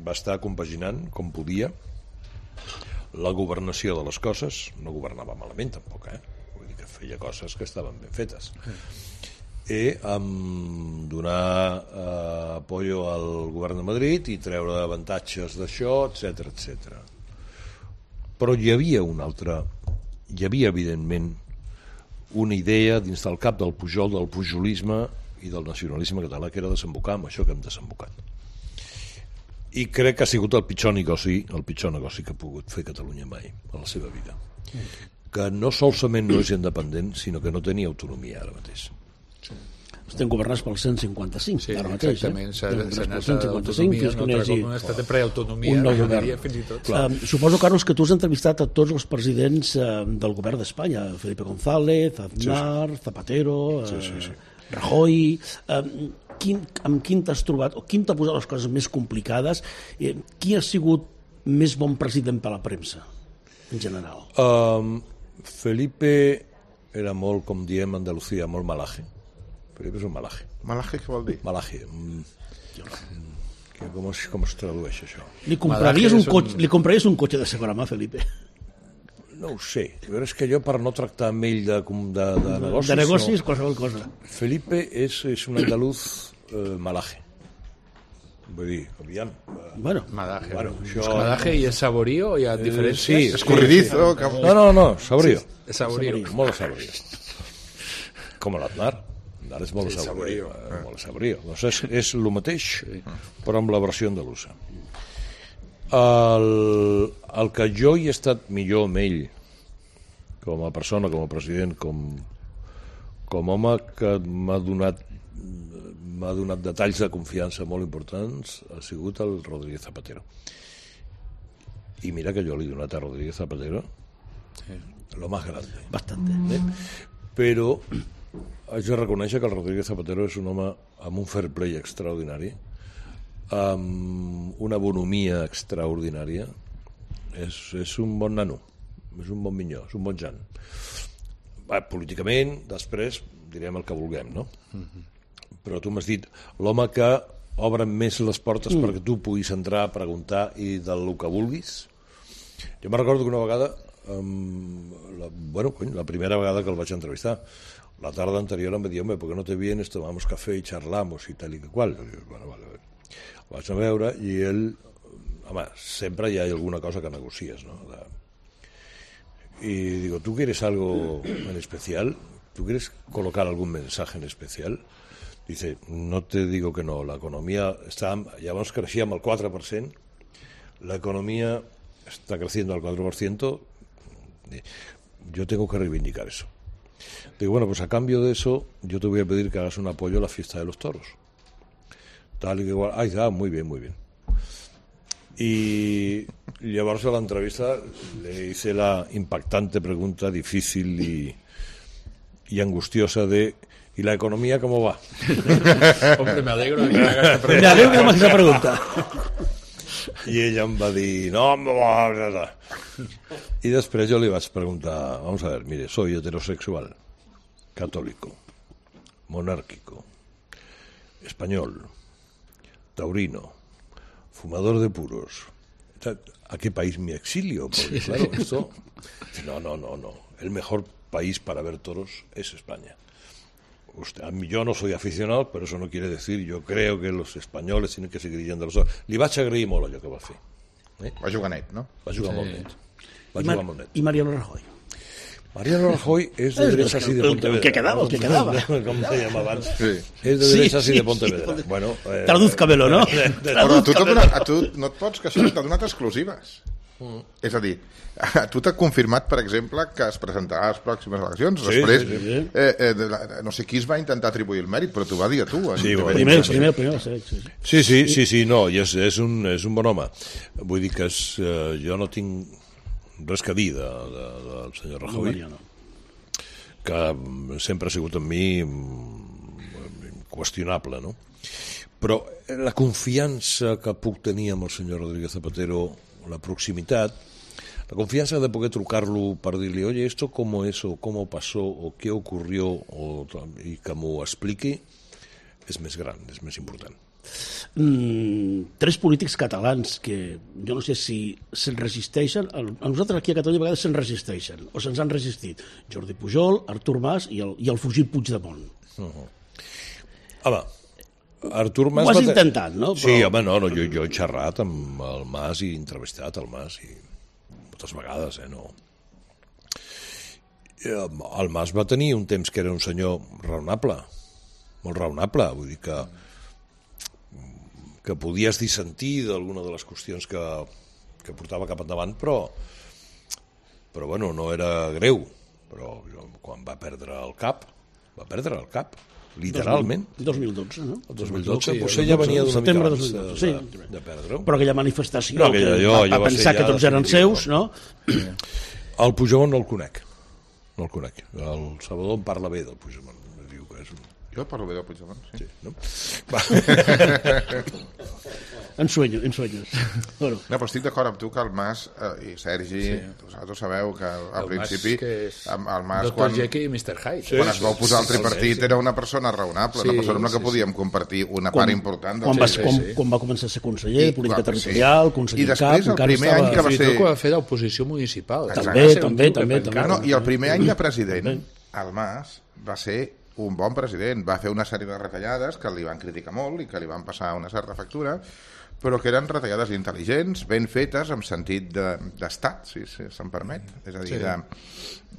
va estar compaginant, com podia, la governació de les coses. No governava malament tampoc, eh? Vull dir que feia coses que estaven ben fetes. I amb donar eh, apoyo al govern de Madrid i treure avantatges d'això, etcètera, etcètera. Però hi havia una altra, hi havia evidentment una idea dins del cap del Pujol, del pujolisme i del nacionalisme català, que era desembocar amb això que hem desembocat. I crec que ha sigut el pitjor negoci, el pitjor negoci que ha pogut fer Catalunya mai a la seva vida. Que no solament no és independent, sinó que no tenia autonomia ara mateix. Estem governats pel cent cinquanta-cinc, sí, ara mateix. Exactament, eh? s'ha anat a autonomia, no altre com un estat de preautonomia, un nou govern. diria, fins i tot. Uh, suposo, Carlos, que tu has entrevistat a tots els presidents uh, del govern d'Espanya, Felipe González, Aznar, sí, sí. Zapatero, uh, sí, sí, sí. Rajoy... Uh, quin, amb quin t'has trobat, o quin t'ha posat les coses més complicades? Eh, qui ha sigut més bon president per a la premsa, en general? Um, Felipe era molt, com diem a Andalucía, molt malaje. Felipe és un malaje. Malaje què vol dir? Malaje. Mm, que com, es, com es tradueix això? Li compraries, un cotxe, un... li compraries un cotxe de segona mà, Felipe? No ho sé. Però és que jo, per no tractar amb ell de, de, de negocis... De negocis, no. Qualsevol cosa. Felipe és, és un andaluz eh, malaje. Vull dir, aviam... Eh, bueno, malaje. Bueno, això... Malaje i el saborío, hi ha diferències? Eh, sí, escorridizo. Sí, sí. No, no, no, saborío. Sí, saborío. Molt saborío. Com l'Aznar. Ara és molt saborió. Molt saborió. Doncs és, és el mateix, però amb la versió andalusa. El, el que jo hi he estat millor amb ell, com a persona, com a president, com, com home que m'ha donat m'ha donat detalls de confiança molt importants, ha sigut el Rodríguez Zapatero. I mira que jo li he donat a Rodríguez Zapatero sí. lo más grande. Bastante. Eh? Però haig de reconèixer que el Rodríguez Zapatero és un home amb un fair play extraordinari, amb una bonomia extraordinària. És, és un bon nano, és un bon minyó, és un bon jan. Va, políticament, després direm el que vulguem, no? Mm-hmm. Però tu m'has dit l'home que obre més les portes mm. perquè tu puguis entrar a preguntar i del que vulguis. Jo me'n recordo que una vegada, um, la, bueno, cony, la primera vegada que el vaig entrevistar, la tarde anterior me dijo, hombre, ¿por qué no te vienes, tomamos café y charlamos y tal y que cual? I dic, bueno, vale, vale. El vaig a veure i ell, home, sempre hi ha alguna cosa que negocies, ¿no? De... Y digo, ¿tú quieres algo en especial? ¿Tú quieres colocar algún mensaje en especial? Dice, no te digo que no, la economía está, llavors creixíem al quatre per cent, la economía está creciendo al cuatro por ciento, yo tengo que reivindicar eso. Digo, bueno, pues a cambio de eso, yo te voy a pedir que hagas un apoyo a la fiesta de los toros. Tal y que igual. Ay, ah, muy bien, muy bien. Y llevarse a la entrevista le hice la impactante pregunta, difícil y, y angustiosa de ¿y la economía cómo va? Hombre, me alegro de que me hagas esta pregunta. Me alegro que me hagas esa pregunta. I ella em va dir, no, no, no, no. I després jo li vaig preguntar, vamos a ver, mire, soy heterosexual, católico, monárquico, español, taurino, fumador de puros. ¿A qué país me exilio? Porque claro, esto... No, no, no, no. El mejor país para ver toros es España. Usted, a mí, yo no soy aficionado, pero eso no quiere decir, yo creo que los españoles tienen que seguir yendo a los toros. Li vaig agrair molt allò que va fer. Eh? Va jugar net, no? Va jugar sí. molt net. Va I, jugar Mar molt net. I Mariano Rajoy? Mariano Rajoy és de derechas y de Pontevedra. El que quedava, el que quedava. Com dèiem abans. Sí. És de derechas sí, i de Pontevedra. Sí. Bueno, eh, Tradúzcamelo, no? Però a tu, donat, a tu no et pots queixar, t'ha donat exclusives. Mm. És a dir, a tu t'ha confirmat, per exemple, que es presentarà a les pròximes eleccions. Sí, Després, sí, sí. Eh, eh, no sé qui es va intentar atribuir el mèrit, però t'ho va dir a tu. Sí, el primer, el primer, el primer, sí, sí. Sí, sí, sí, sí, no, i és, és, un, és un bon home. Vull dir que és, eh, jo no tinc res que dir de, de, del senyor Rajoy, No, que sempre ha sigut amb mi qüestionable, no? Però la confiança que puc tenir amb el senyor Rodríguez Zapatero, la proximitat, la confianza de poder trucarlo para decirle, oye, esto cómo es, o cómo pasó, o qué ocurrió, o, y que m'ho expliqui, és més gran, és més important. Mm, tres polítics catalans que jo no sé si se'n resisteixen, a nosaltres aquí a Catalunya a vegades se'n resisteixen, o se'ns han resistit. Jordi Pujol, Artur Mas i el, i el fugit Puigdemont. Uh-huh. Home, Artur Mas... Ho has va intentat, no? Però... Sí, home, no, no jo, jo he xerrat amb el Mas i entrevistat el Mas i moltes vegades, eh, no. El Mas va tenir un temps que era un senyor raonable, molt raonable, vull dir que que podies dissentir d'alguna de les qüestions que, que portava cap endavant, però però bueno, no era greu, però quan va perdre el cap, va perdre el cap, literalment. dos mil dotze, no? El dos mil dotze, potser ja venia d'una mica abans de, sí. de, de perdre-ho. Però aquella manifestació no, aquella, que jo, va, jo va pensar que tots eren seus, no? El Puigdemont no el conec, no el conec. El Salvador em parla bé del Puigdemont. Diu que és un... Jo parlo bé del Puigdemont, sí. sí no? En sueño, en sueños. Bueno. No, però estic d'acord amb tu que el Mas eh, i Sergi, sí. vosaltres sabeu que al el principi Mas és el Mas doctor quan, Jekyll i mister Hyde. Sí, quan es va oposar al tripartit sí, sí. era una persona raonable, sí, una persona amb la que sí, podíem compartir una quan, part important. Quan, del va, sí, quan, sí. quan va començar a ser conseller de política I, territorial, sí. conseller I després, cap, el primer any que va ser... Quan va fer d'oposició municipal. També, també, també. també no, I el primer any de president, el Mas va ser un bon president. Va fer una sèrie de retallades que li van criticar molt i que li van passar una certa factura, però que eren retallades intel·ligents, ben fetes, amb sentit d'estat, si, si se'm permet. És a dir, sí. de,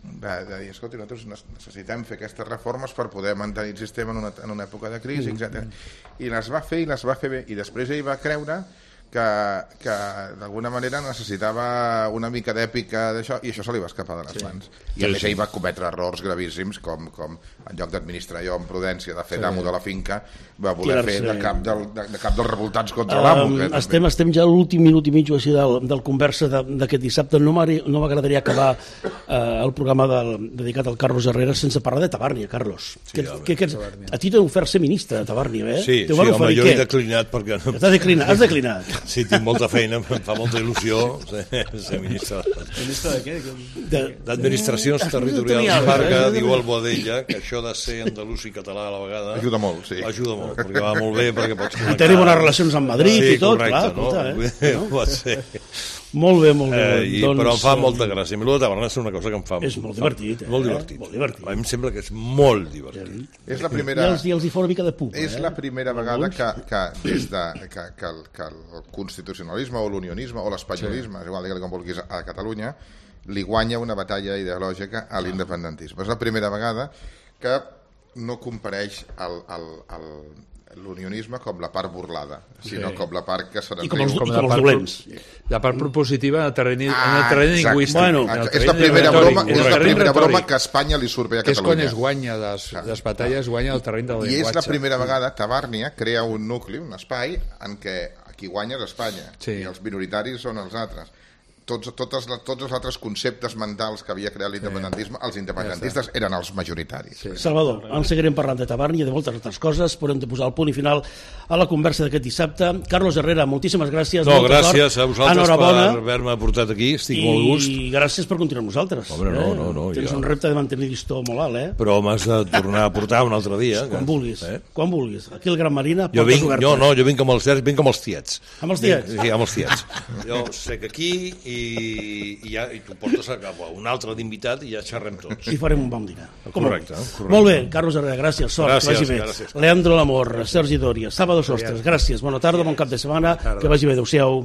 de, de dir, escolta, nosaltres necessitem fer aquestes reformes per poder mantenir el sistema en una, en una època de crisi, mm. etcètera. I les va fer i les va fer bé. I després ell va creure que, que d'alguna manera necessitava una mica d'èpica d'això, i això se li va escapar de les sí. mans. I a més ell va cometre errors gravíssims, com, com en lloc d'administrar jo amb prudència, de fer sí. d'amo de la finca, va voler fer de cap, del, de, de cap dels revoltats contra um, l'amo. Que estem, estem ja a l'últim minut i mig o així del, del conversa d'aquest dissabte. No m'agradaria acabar eh, el programa del, dedicat al Carlos Herrera sense parlar de Tabàrnia, Carlos. Sí, que, que, que, a ti t'he ofert ser ministre de Tabàrnia, eh? Sí, sí home, jo he declinat perquè... No... Has declinat, has declinat. Sí, tinc molta feina, em fa molta il·lusió ser, ser ministre. Ministre de què? D'administracions territorials, perquè eh? diu el Boadella que això de ser andalús i català a la vegada... Ajuda molt, sí. Ajuda molt, perquè va molt bé, perquè pots connectar... I tenir bones relacions amb Madrid sí, i tot, correcte, clar, escolta, no? eh? No? Pot ser. Molt bé, molt bé. Eh, i, doncs, però em fa molta gràcia. A mi, el de Tabàrnia és una cosa que em fa... És molt divertit, eh? Molt divertit. Molt divertit. A mi em sembla que és molt divertit. És la primera... I els, i els hi fa una mica de pupa, És eh? la primera vegada que, que, des de, que, que, el, que el constitucionalisme o l'unionisme o l'espanyolisme, sí. és igual, digue-li com vulguis, a Catalunya, li guanya una batalla ideològica a l'independentisme. És la primera vegada que no compareix el, el, el, l'unionisme com la part burlada, sinó sí. com la part que se n'enriu. I com els, com i com els dolents. La part propositiva en el terreny, ah, en el terreny lingüístic. Bueno, és la primera broma, és la primera broma que a Espanya li surt bé a Catalunya. És quan es guanya les, les batalles, guanya el terreny del I llenguatge. I és la primera vegada Tabàrnia crea un nucli, un espai, en què qui guanya és Espanya sí. i els minoritaris són els altres. Tots, totes, tots els altres conceptes mentals que havia creat l'independentisme, els independentistes ja eren els majoritaris. Sí. Salvador, en seguirem parlant de Tabàrnia i de moltes altres coses, però hem de posar el punt i final a la conversa d'aquest dissabte. Carlos Herrera, moltíssimes gràcies. No, gràcies sort. A vosaltres Enhorabona. Per haver-me portat aquí, estic I molt gust. I gràcies per continuar amb nosaltres. Home, no, no, no, Tens ja. un repte de mantenir l'histó molt alt, eh? Però m'has de tornar a portar un altre dia. Quan que... vulguis, eh? quan vulguis. Aquí al Gran Marina, jo vinc, no, no, jo vinc com els, vinc com els tiets. Amb els tiets? Vinc, sí, amb els tiets. Jo sec aquí i... i, ja, i tu portes a cap a un altre d'invitat i ja xerrem tots. I farem un bon dinar. Correcte, correcte. Molt bé, Carlos Herrera, gràcies, sort, gràcies, que vagi bé. Gràcies. Leandro Lamor, Sergi Dòria, Sábado Sostres, gràcies, bona tarda, bon cap de setmana, que vagi bé, adeu-siau.